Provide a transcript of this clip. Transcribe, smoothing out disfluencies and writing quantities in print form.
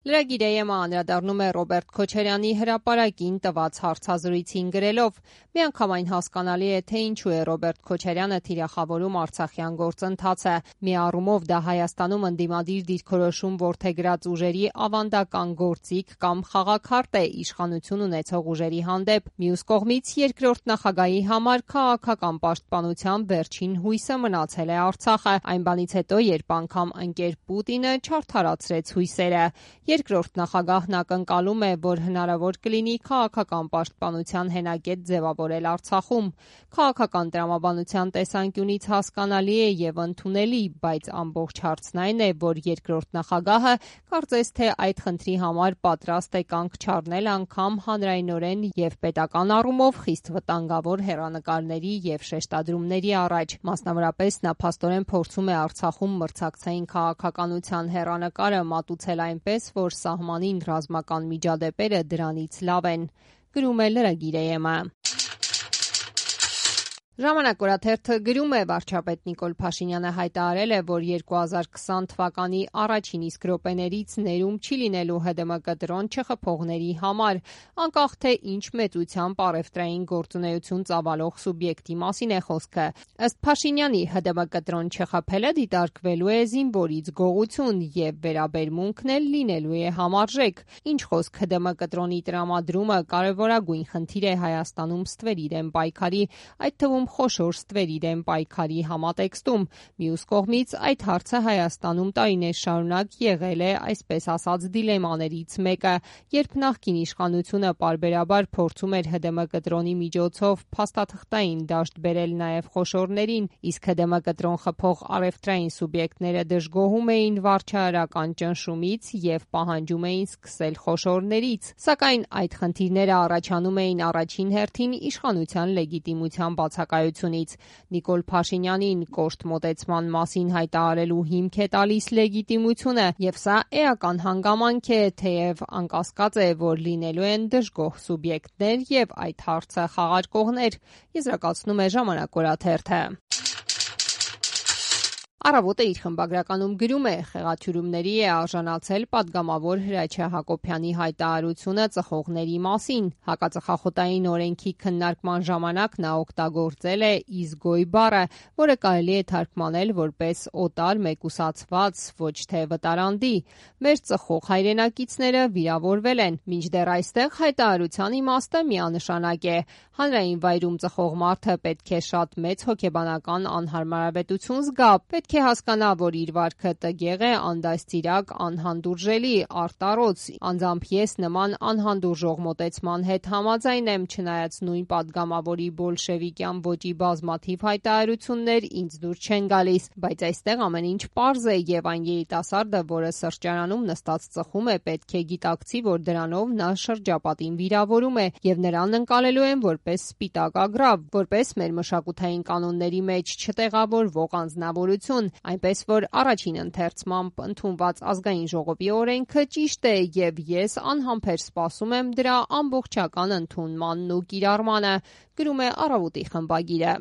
Լրագիր AM-ը անդրադառնում է Ռոբերտ Քոչարյանի հրապարակին տված հարցազրույցին գրելով. «Միանգամայն հասկանալի է, թե ինչու է Ռոբերտ Քոչարյանը թիրախավորում արցախյան գործընթացը։ Մի առումով դա Հայաստանում ընդդիմադիր դիրքորոշում որդեգրած ուժերի ավանդական գործիք կամ խաղաքարտ է իշխանություն ունեցող ուժերի հանդեպ։ Մյուս կողմից երկրորդ նախագահի համար քաղաքական պաշտպանության վերջին հույսը մնացել է Արցախը, այն բանից հետո, երբ անգամ ընկեր Պուտինը չարդարացրեց հույսերը։ Երկրորդ նախագահն ակնկալում է, որ հնարավոր կլինի քաղաքական պաշտպանության հենակետ ձևավորել Արցախում։ Քաղաքական տրամաբանության տեսանկյունից հասկանալի է եւ ընդունելի, բայց ամբողջ հարցն այն է, որ երկրորդ նախագահը կարծես թե այդ խնդրի համար պատրաստ է կանգ չառնել անգամ հանրայնորեն եւ պետական առումով խիստ վտանգավոր հեռանկարների եւ շեշտադրումների առաջ։ Մասնավորապես նա փաստորեն փորձում է Արցախում մրցակցային քաղաքականության հեռանկարը մատուցել այնպես, որ սահմանին ռազմական միջադեպերը դրանից լավ են», գրում է լրագիր AM-ը։ «Ժամանակ» օրաթերթը գրում է. վարչապետ Նիկոլ Փաշինյանը հայտարարել է, որ 2020 թվականի առաջին իսկ րոպեներից ներում չի լինելու ՀԴՄԿ դրոն չխփողների համար, անկախ թե ինչ մեծությամբ առևտրային գործունեություն ծավալող սուբյեկտի մասին է խոսքը։ Ըստ Փաշինյանի, ՀԴՄԿ դրոն չխփելը դիտարկվելու է զինվորից գողություն եւ վերաբերմունքն էլ լինելու է համարժեք։ Ինչ խոսք, ՀԴՄԿ դրոնի տրամադրումը կարևորագույն խնդիր է Հայաստանում ստվերի դեմ պայքարի, այդ թվում խոշոր ստվերի դեմ պայքարի համատեքստում։ Մյուս կողմից, այդ հարցը Հայաստանում տարիներ շարունակ եղել է, այսպես ասած, դիլեմաներից մեկը, երբ նախկին իշխանությունը պարբերաբար փորձում էր ՀԴՄԿ դրոնի միջոցով փաստաթղթային դաշտ բերել նաև խոշորներին, իսկ ՀԴՄԿ դրոն խփող առևտրային սուբյեկտները դժգոհում էին վարչահարական ճնշումից եւ պահանջում էին սկսել խոշորներից։ Սակայն այդ խնդիրները առաջանում էին առաջին հերթին իշխանության լեգիտիմության բացակայությունից։ Նիկոլ Փաշինյանին կոշտ մոտեցման մասին հայտարարելու հիմք է տալիս լեգիտիմությունը, եւ սա էական հանգամանք է, թեև անկասկած է, որ լինելու են դժգոհ սուբյեկտներ եւ այդ հարցը խաղարկողներ, եզրակացնում է «Ժամանակ» օրաթերթը։ Առավոտը իր խմբագրականում գրում է. խեղաթյուրումների է արժանացել падգամավոր Հրաչյա Հակոբյանի հայտարարությունը ծխողների մասին։ Հակածխախոտային օրենքի քննարկման ժամանակ նա օգտագործել է «իզգոյ» բառը, որը կարելի է թարգմանել որպես օտար մեկուսացված, ոչ թե վտարանդի։ Մեր ծխող հայրենակիցները վիրավորվել են։ Մինչդեռ այստեղ հայտարարության իմաստը միանշանակ է։ Հանրային վայրում ծխող մարդը պետք է շատ մեծ հոգեբանական անհարմարավետություն զգա, պետք է հասկանա, որ իր վարքը տգեղ է, անդաստիրակ, անհանդուրժելի, արտառոց։ Անձամբ ես նման անհանդուրժող մոտեցման հետ համաձայն եմ, չնայած նույն падգամավորի բոլշևիկյան ոճի բազմաթիվ հայտարարություններ ինձ դուր չեն գալիս, բայց այստեղ ամեն ինչ պարզ է եւ այն երիտասարդը, որը սրճարանում նստած ծխում է, պետք է գիտակցի, որ դրանով նա շրջապատին վիրավորում է եւ նրան ընկալելու են որպես սպիտակ ագռավ, որպես մեր մշակութային կանոնների մեջ չտեղավորվող անձնավորություն, այնպես որ առաջին ընթերցմամբ ընդունված ազգային ժողովի օրենքը ճիշտ է եւ ես անհամբեր սպասում եմ դրա ամբողջական ընդունմանն ու կիրառմանը, գրում է «Առավոտի» խմբագիրը։